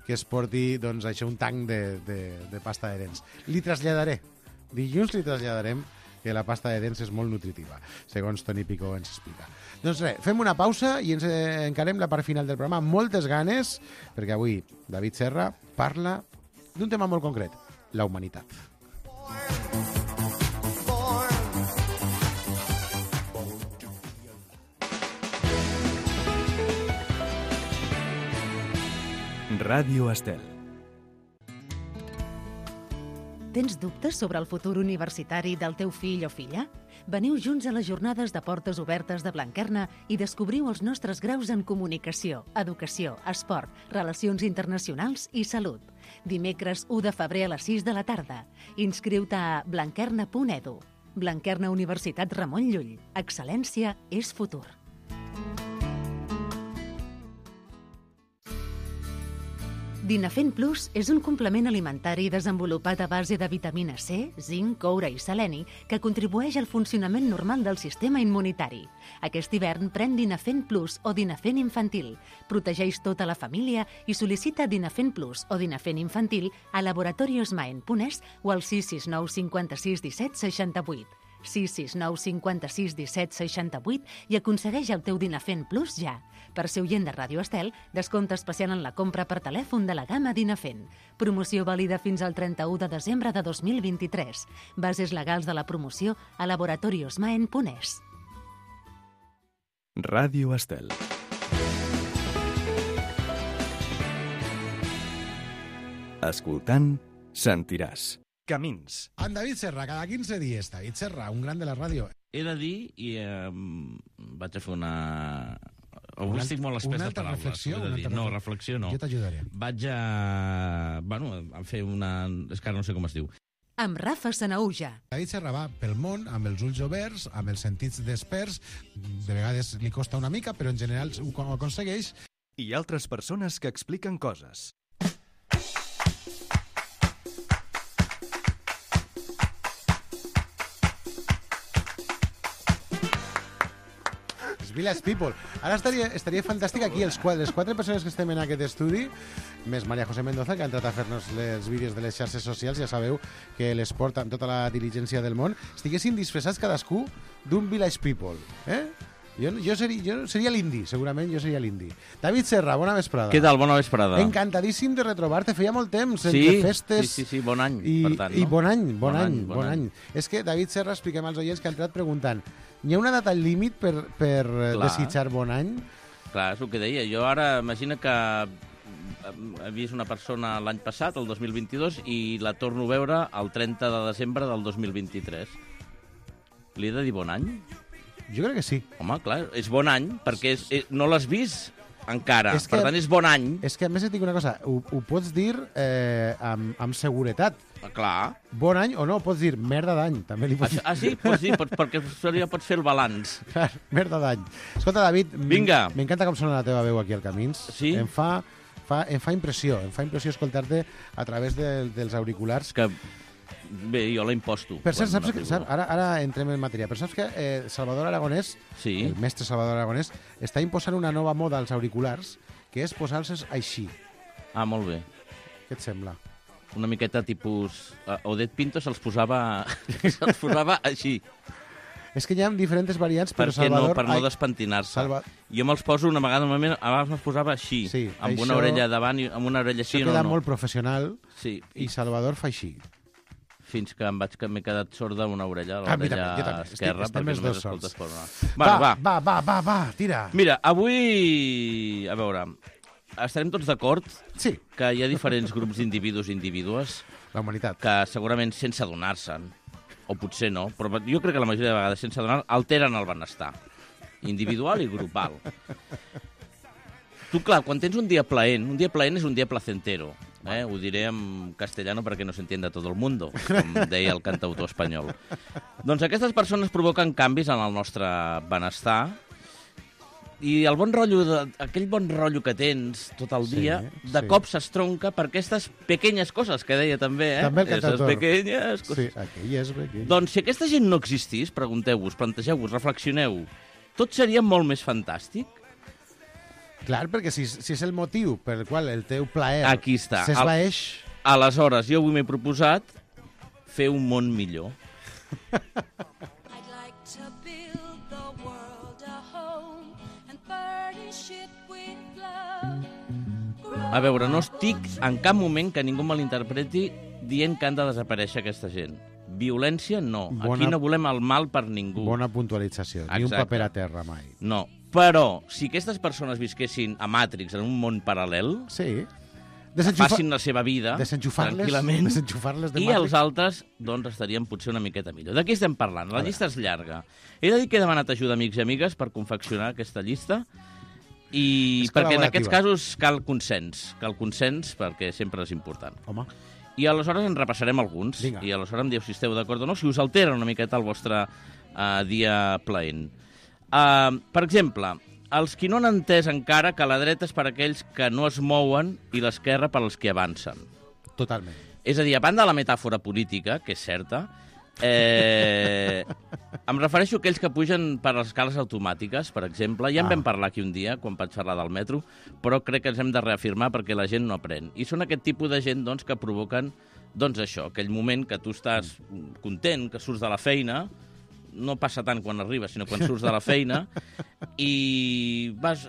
que es porti, doncs, això, un tanc de pasta de dents. Li traslladaré. Dilluns li traslladarem que la pasta de dents és molt nutritiva, segons Toni Picó ens explica. Doncs res, fem una pausa i ens encarem la part final del programa amb moltes ganes, perquè avui David Serra parla d'un tema molt concret, la humanitat. Ràdio Estel. Tens dubtes sobre el futur universitari del teu fill o filla? Veniu junts a les jornades de portes obertes de Blanquerna i descobriu els nostres graus en comunicació, educació, esport, relacions internacionals i salut. Dimecres 1 de febrer a les 6 de la tarda. Inscriu-te a blanquerna.edu. Blanquerna Universitat Ramon Llull. Excel·lència és futur. Dinafent Plus és un complement alimentari desenvolupat a base de vitamina C, zinc, coure i seleni que contribueix al funcionament normal del sistema immunitari. Aquest hivern pren Dinafent Plus o Dinafent Infantil. Protegeix tota la família i sol·licita Dinafent Plus o Dinafent Infantil a laboratoriosmaen.es o al 669 56 17 68. 669 56 17 68 i aconsegueix el teu Dinafent Plus ja. Per ser oient de Ràdio Estel, descompte especial en la compra per telèfon de la gamma Dinafent. Promoció vàlida fins al 31 de desembre de 2023. Bases legals de la promoció a laboratoriosmaen.es. Ràdio Estel. Escoltant, sentiràs. Camins. En David Serra, cada 15 dies. David Serra, un gran de la ràdio. He de dir, i vaig a fer una... Avui estic molt espès de paraules. Reflexió? No, reflexió no. Jo t'ajudaré. Vaig a fer una... És que ara no sé com es diu. Amb Rafa Sanaúja. David Serra va pel món amb els ulls oberts, amb els sentits desperts. De vegades li costa una mica, però en general ho aconsegueix. I altres persones que expliquen coses. Village People. Ara estaria fantàstic aquí les quatre persones que estem en aquest estudi, més Maria José Mendoza, que ha entrat a fer-nos els vídeos de les xarxes socials, ja sabeu que les porta amb tota la diligència del món, estiguessin disfressats cadascú d'un Village People. Jo seria l'indi, segurament jo seria l'indi. David Serra, bona vesprada. Què tal? Bona vesprada. Encantadíssim de retrobar-te, feia molt temps, sí, entre festes... Sí, bon any, per tant, no? I bon any. És que, David Serra, expliquem als oients que ha entrat preguntant, hi ha una data límit per desitjar bon any? Clar, és el que deia. Jo ara, imagina que he vist una persona l'any passat, el 2022, i la torno a veure el 30 de desembre del 2023. Li he de dir bon any? Jo crec que sí. Home, clar, és bon any, perquè no l'has vist encara. Per tant, és bon any. És que, a més, et dic una cosa, ho pots dir amb seguretat. Clar. Bon any o no, pots dir merda d'any. També li pots dir. Sí, pots dir, perquè ja pots fer el balanç. Clar, merda d'any. Escolta, David, vinga. M'encanta com sona la teva veu aquí al Camins. Sí? Em fa impressió escoltar-te a través dels auriculars. Que... Bé, jo la imposto. Per cert, saps que, ara entrem en matèria, però saps que Salvador Aragonès, el mestre Salvador Aragonès, està imposant una nova moda als auriculars, que és posar-los així. Ah, molt bé. Què et sembla? una miqueta tipus... Odette Pinto se'ls posava així. És que hi ha diferents variants, però Salvador... Per no despentinar-se. Jo me'ls poso una vegada, abans me'ls posava així, amb una orella davant i amb una orella així. Això queda molt professional, sí. I Salvador fa així. Fins que m'he quedat sorda una orella, l'orella esquerra. Estem els dos sols. Va, tira. Mira, avui, a veure, estarem tots d'acord que hi ha diferents grups d'individus i individues la humanitat que segurament sense adonar-se'n, o potser no, però jo crec que la majoria de vegades sense adonar alteren el benestar individual i grupal. Tu, clar, quan tens un dia plaent és un dia placentero. Ho diré en castellano perquè no s'entienda tot el mundo, com deia el cantautor espanyol. Doncs aquestes persones provoquen canvis en el nostre benestar i el bon rotllo, aquell bon rotllo que tens tot el dia, de cop s'estronca per aquestes pequeñas coses que deia també, També el cantautor. Pequeñas coses. Sí, aquelles pequeñas. Doncs si aquesta gent no existís, pregunteu-vos, plantegeu-vos, reflexioneu, tot seria molt més fantàstic? Clar, perquè si és el motiu per el qual el teu plaer s'esvaeix... Aleshores, jo avui m'he proposat fer un món millor. A veure, no estic en cap moment que ningú me l'interpreti dient que han de desaparèixer aquesta gent. Violència, no. Aquí no volem el mal per ningú. Bona puntualització. Ni un paper a terra mai. No. Però, si aquestes persones visquessin a Matrix, en un món paral·lel, facin la seva vida tranquil·lament, i els altres doncs estarien potser una miqueta millor. De què estem parlant? La llista és llarga. He de dir que he demanat ajuda amics i amigues per confeccionar aquesta llista, i perquè en aquests casos cal consens perquè sempre és important. Home. I aleshores en repassarem alguns. Vinga. I aleshores em diu si esteu d'acord o no, si us altera una miqueta el vostre dia plaent. Per exemple, els qui no han entès encara que la dreta és per aquells que no es mouen i l'esquerra per als que avancen. Totalment. És a dir, a banda de la metàfora política, que és certa, em refereixo a aquells que pugen per les escales automàtiques, per exemple. Ja en vam parlar aquí un dia, quan vaig parlar del metro, però crec que ens hem de reafirmar perquè la gent no aprèn. I són aquest tipus de gent doncs, que provoquen això, aquell moment que tu estàs content, que surts de la feina, no passa tant quan arribes, sinó quan surts de la feina, i vas...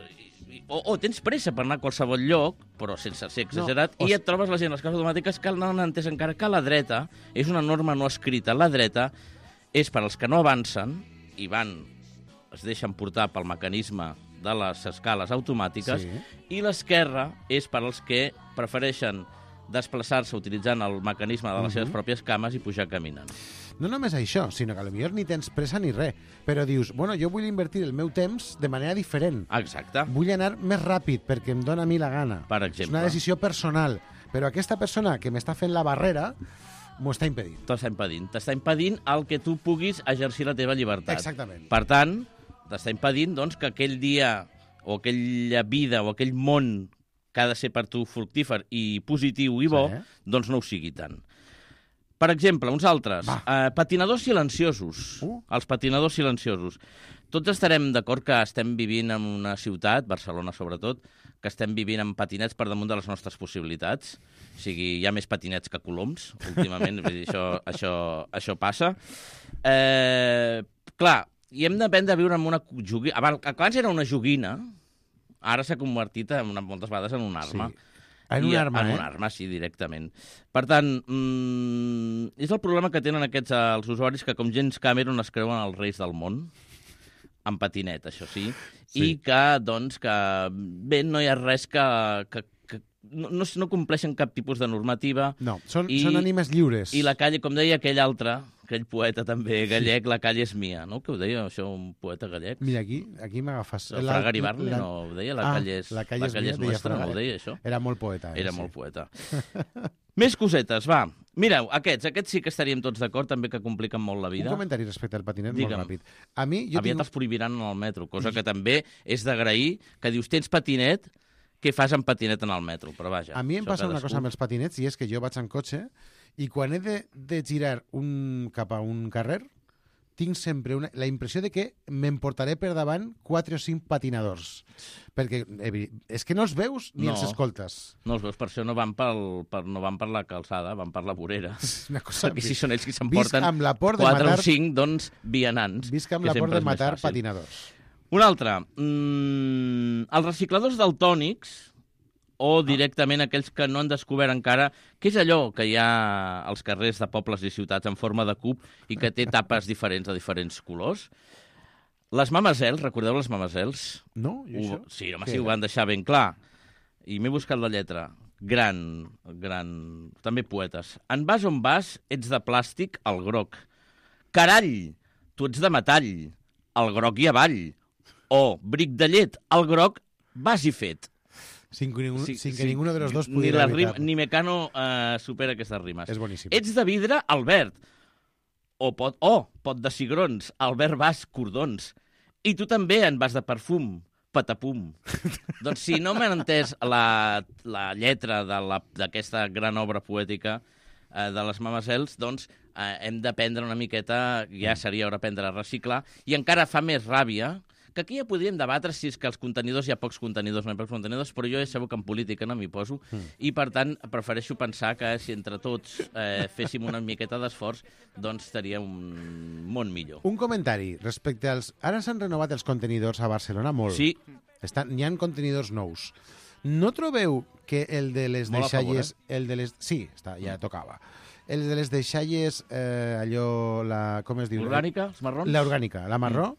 O tens pressa per anar a qualsevol lloc, però sense ser exagerat, i et trobes la gent a les cases automàtiques que no han entès encara que la dreta és una norma no escrita. La dreta és per als que no avancen i es deixen portar pel mecanisme de les escales automàtiques, i l'esquerra és per als que prefereixen desplaçar-se utilitzant el mecanisme de les seves pròpies cames i pujar caminant. No només això, sinó que potser ni tens pressa ni res, però dius, bueno, jo vull invertir el meu temps de manera diferent. Exacte. Vull anar més ràpid perquè em dóna a mi la gana. Per exemple. És una decisió personal, però aquesta persona que m'està fent la barrera m'ho està impedint. T'està impedint el que tu puguis exercir la teva llibertat. Exactament. Per tant, t'està impedint doncs, que aquell dia o aquella vida o aquell món que ha de ser per tu fructífer i positiu i bo, doncs no ho sigui tant. Per exemple, uns altres. Patinadors silenciosos. Els patinadors silenciosos. Tots estarem d'acord que estem vivint en una ciutat, Barcelona sobretot, que estem vivint amb patinets per damunt de les nostres possibilitats. O sigui, hi ha més patinets que coloms, últimament. Vull dir, això passa. Clar, i hem d'aprendre a viure amb una joguina. Abans era una joguina, ara s'ha convertit moltes vegades en una arma. Sí. En una arma, En una arma, sí, directament. Per tant, és el problema que tenen els usuaris que com James Cameron es creuen els reis del món, en patinet, això sí, i que, doncs, bé, no hi ha res que no compleixen cap tipus de normativa. No, són ànimes lliures. I la calle, com deia aquell poeta també gallec, la calle és mia, no? Què ho deia, això, un poeta gallec? Mira, aquí m'agafes... El Fragari Barney no ho deia? La calle és nostra, no ho deia, això? Era molt poeta. Era molt poeta. Més cosetes, va. Mireu, aquests sí que estaríem tots d'acord, també que compliquen molt la vida. Un comentari respecte al patinet, molt ràpid. Aviat els prohibiran en el metro, cosa que també és d'agrair, que dius, tens patinet, què fas amb patinet en el metro? Però vaja... A mi em passa una cosa amb els patinets, i és que jo vaig en cotxe, i quan he de girar cap a un carrer, tinc sempre la impressió de que m'emportaré per davant 4 o 5 patinadors. Perquè és que no els veus ni els escoltes. No els veus, per això no van per la calçada, van per la vorera. Una cosa... Perquè si són ells qui s'emporten 4 o 5, doncs, vianants. Visc amb la por de matar patinadors. Un altre. Els recicladors daltònics, o directament aquells que no han descobert encara què és allò que hi ha als carrers de pobles i ciutats en forma de cub i que té tapes diferents de diferents colors. Les mamazels, recordeu les mamazels? No, i això? Sí, home, sí, ho van deixar ben clar. I m'he buscat la lletra. Gran, també poetes. En vas on vas, ets de plàstic, el groc. Carall, tu ets de metall, el groc i avall. O, bric de llet, el groc, vas i fet. Sin que ninguno de los dos pudiera evitar. Ni Mecano supera aquestes rimes. És boníssim. Ets de vidre, Albert. O pot de cigrons, Albert vas, cordons. I tu també en vas de perfum, patapum. Doncs si no m'han entès la lletra d'aquesta gran obra poètica de les mamazels, doncs hem d'aprendre una miqueta, ja seria hora aprendre a reciclar, i encara fa més ràbia que aquí ja podríem debatre si és que els contenidors hi ha pocs contenidors, no hi ha pocs contenidors, però jo ja sabeu que en política no m'hi poso, i per tant prefereixo pensar que si entre tots féssim una miqueta d'esforç, doncs estaria un món millor. Un comentari respecte als... Ara s'han renovat els contenidors a Barcelona molt. Sí. N'hi ha contenidors nous. No trobeu que el de les deixalles... Sí, ja tocava. El de les deixalles, allò... Com es diu? L'orgànica, els marrons? L'orgànica, la marró.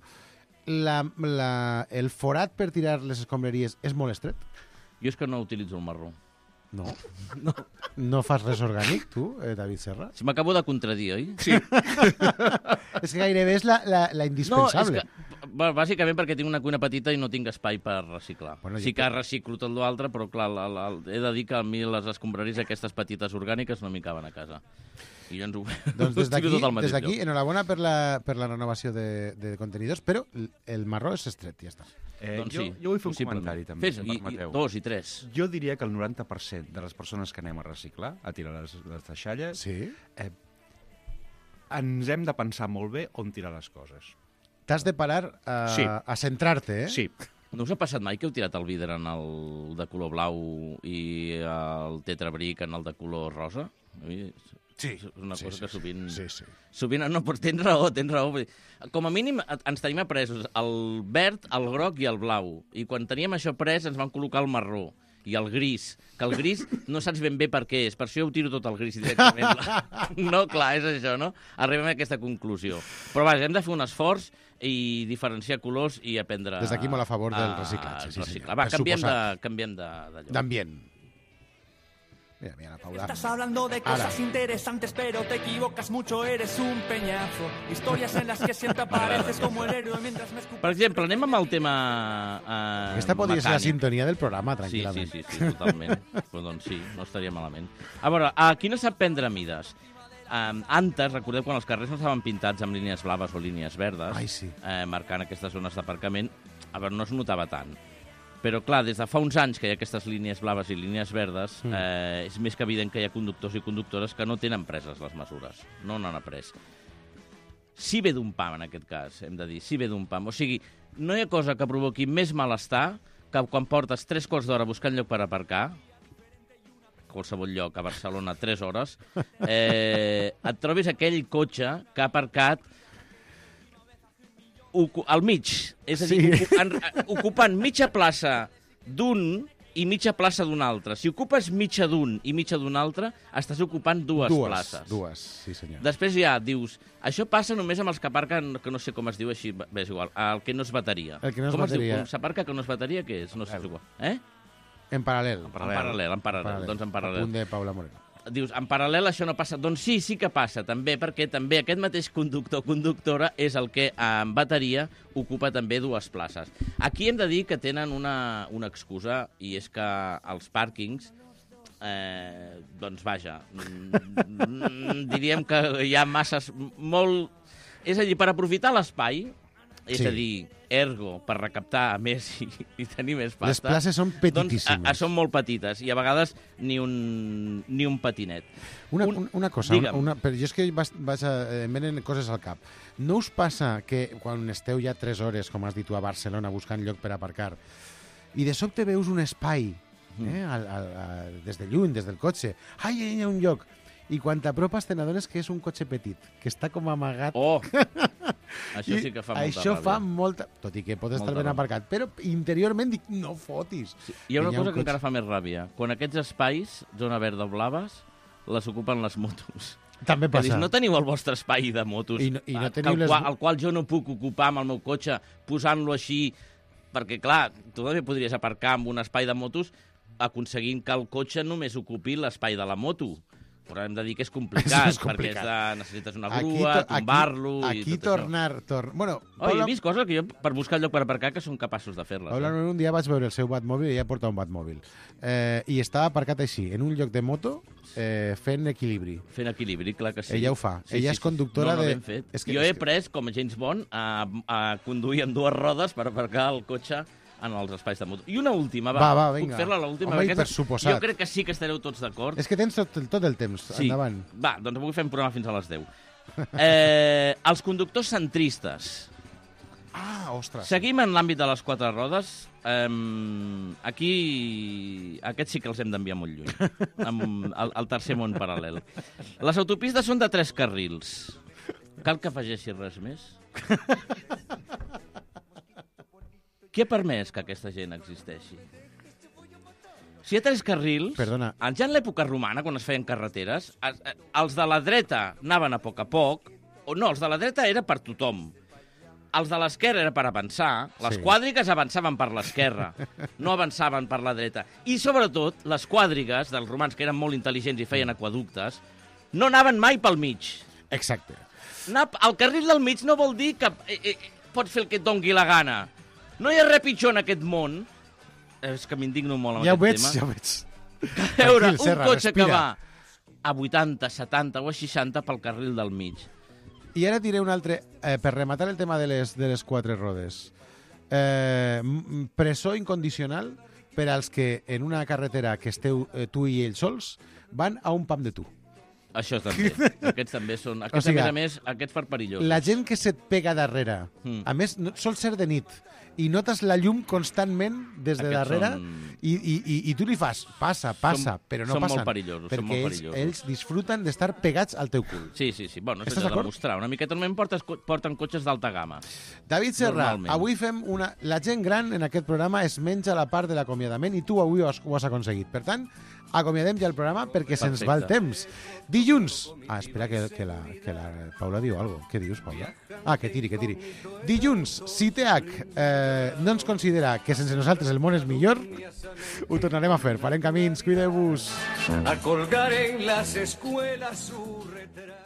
El forat per tirar les escombraries és molt estret? Jo és que no utilitzo el marró. No. No fas res orgànic, tu, David Serra? Si m'acabo de contradir, oi? Sí. És que gairebé és la indispensable. No, és que, bàsicament perquè tinc una cuina petita i no tinc espai per reciclar. Bueno, sí que reciclo tot l'altre, però clar, he de dir que a mi les escombraries aquestes petites orgàniques no m'hi caben a casa. I jo ens ho... Doncs des d'aquí, enhorabona per la renovació de contenidors, però el marró és estret, ja està. Doncs sí. Jo vull fer un comentari, també, si em permeteu. 2 i 3. Jo diria que el 90% de les persones que anem a reciclar, a tirar les deixalles, ens hem de pensar molt bé on tirar les coses. T'has de parar a centrar-te, eh? Sí. No us ha passat mai que heu tirat el vidre en el de color blau i el tetrabric en el de color rosa? Sí. És una cosa que sovint... Sí. Sovint, no, però tens raó. Com a mínim ens tenim apresos el verd, el groc i el blau. I quan teníem això pres ens van col·locar el marró i el gris, que el gris no saps ben bé per què és, per això ho tiro tot el gris directament. No, clar, és això, no? Arribem a aquesta conclusió. Però vaja, hem de fer un esforç i diferenciar colors i aprendre... Des d'aquí molt a favor del reciclatge. Sí, va, canviem d'allò. D'ambient. Mira, la Paula. Estás hablando de cosas interesantes, pero te equivocas mucho, eres un peñazo. Historias en las que siempre apareces como el héroe mientras me escupas... Per exemple, anem amb el tema Aquesta podria mecànic. ser la sintonia del programa, tranquil·lament. Sí, totalment. Però doncs sí, no estaria malament. A veure, aquí no sap prendre mides. Antes, recordeu, quan els carrers no estaven pintats amb línies blaves o línies verdes, marcant aquestes zones d'aparcament, a veure, no es notava tant. Però, clar, des de fa uns anys que hi ha aquestes línies blaves i línies verdes, és més que evident que hi ha conductors i conductores que no tenen preses les mesures. No n'han après. Sí ve d'un pam, en aquest cas, hem de dir. Sí ve d'un pam. O sigui, no hi ha cosa que provoqui més malestar que quan portes 3 quarts d'hora buscant lloc per aparcar, qualsevol lloc a Barcelona, 3 hores, et trobis aquell cotxe que ha aparcat al mig, és a dir, ocupant mitja plaça d'un i mitja plaça d'un altre. Si ocupes mitja d'un i mitja d'un altre, estàs ocupant dues places. Dues, sí senyor. Després ja dius, això passa només amb els que aparquen, que no sé com es diu així, és igual, el que no és bateria. El que no és com bateria. Es diu? Com s'aparca que no és bateria, què és? No sé, és igual. En paral·lel. En paral·lel. Doncs en paral·lel. Apunt de Paula Moreno. Dius, en paral·lel això no passa. Doncs sí que passa, també, perquè també aquest mateix conductor o conductora és el que en bateria ocupa també 2 places. Aquí hem de dir que tenen una excusa, i és que els pàrquings, doncs vaja, diríem que hi ha masses molt... És a dir, per aprofitar l'espai, és Sí. a dir, ergo, per recaptar més i tenir més pasta... Les places són petitíssimes. Doncs, són molt petites i a vegades ni un patinet. Una cosa, Digue'm. però jo és que em venen coses al cap. No us passa que quan esteu ja 3 hores, com has dit tu, a Barcelona, buscant lloc per aparcar, i de sobte veus un espai, des de lluny, des del cotxe, ai, hi ha un lloc, i quan t'apropes te n'adones que és un cotxe petit, que està com amagat. Oh! Això sí que fa molta Això ràbia. fa molta... Tot i que pot estar ben aparcat, però interiorment dic, no fotis. Sí. Hi ha una cosa que encara fa més ràbia. Quan aquests espais, zona verda o blaves, les ocupen les motos. També que passa. dius, no teniu el vostre espai de motos, I no teniu el qual jo no puc ocupar amb el meu cotxe, posant-lo així, perquè, clar, tu també podries aparcar amb un espai de motos aconseguint que el cotxe només ocupi l'espai de la moto. Però hem de dir que és complicat, perquè necessites una grua, tombar-lo... Aquí tornar... Bueno, he vist coses que jo, per buscar lloc per aparcar, que són capaços de fer-les. Paula, un dia vaig veure el seu Batmòbil i ella porta un Batmòbil. I estava aparcat així, en un lloc de moto, fent equilibri. Fent equilibri, clar que sí. Ella ho fa. Ella és conductora de... Ben fet. Jo he après, com a James Bond, a conduir amb 2 rodes per aparcar el cotxe en els espais de moto. I una última, va, vinga. Puc fer-la l'última? Home, i per suposat. Jo crec que sí que estareu tots d'acord. És que tens tot el temps, sí. Endavant. Va, doncs avui fem programa fins a les 10. Els conductors centristes. Ostres. Seguim en l'àmbit de les 4 rodes. Aquí, aquests sí que els hem d'enviar molt lluny, amb el tercer món paral·lel. Les autopistes són de 3 carrils. Cal que afegeixi res més? Qui ha permès que aquesta gent existeixi? Si hi ha 3 carrils... Perdona. Ja en l'època romana, quan es feien carreteres, els de la dreta anaven a poc, no, els de la dreta era per tothom. Els de l'esquerra era per avançar, les quadrigues avançaven per l'esquerra, no avançaven per la dreta. I, sobretot, les quadrigues dels romans, que eren molt intel·ligents i feien aquaductes, no anaven mai pel mig. Exacte. El carril del mig no vol dir que pots fer el que et dongui la gana. No hi ha res pitjor en aquest món. És que m'indigno molt amb aquest tema. Ja ho veig. Veure un cotxe que va a 80, 70 o a 60 pel carril del mig. I ara diré un altre, per rematar el tema de les 4 rodes. Presó incondicional per als que en una carretera que esteu tu i ells sols van a un pam de tu. Això també. Aquests també són... Aquests, a més, aquests per perillosos. La gent que se't pega darrere, a més, sol ser de nit, i notes la llum constantment des de darrere i tu li fas, passa, però no passen. Són molt perillosos. Perquè ells disfruten d'estar pegats al teu cul. Sí. Bueno, és de demostrar. Una miqueta normalment porten cotxes d'alta gamma. David Serra, avui fem una... La gent gran en aquest programa es menja la part de l'acomiadament i tu avui ho has aconseguit. Per tant, acomiadem ja el programa perquè se'ns va el temps. Dilluns... espera que la Paula diu alguna cosa. Què dius, Paula? Que tiri. Dilluns, CITEAC no ens considera que sense nosaltres el món és millor, ho tornarem a fer. Farem camins, cuideu-vos. A colgar en las escuelas su retrato.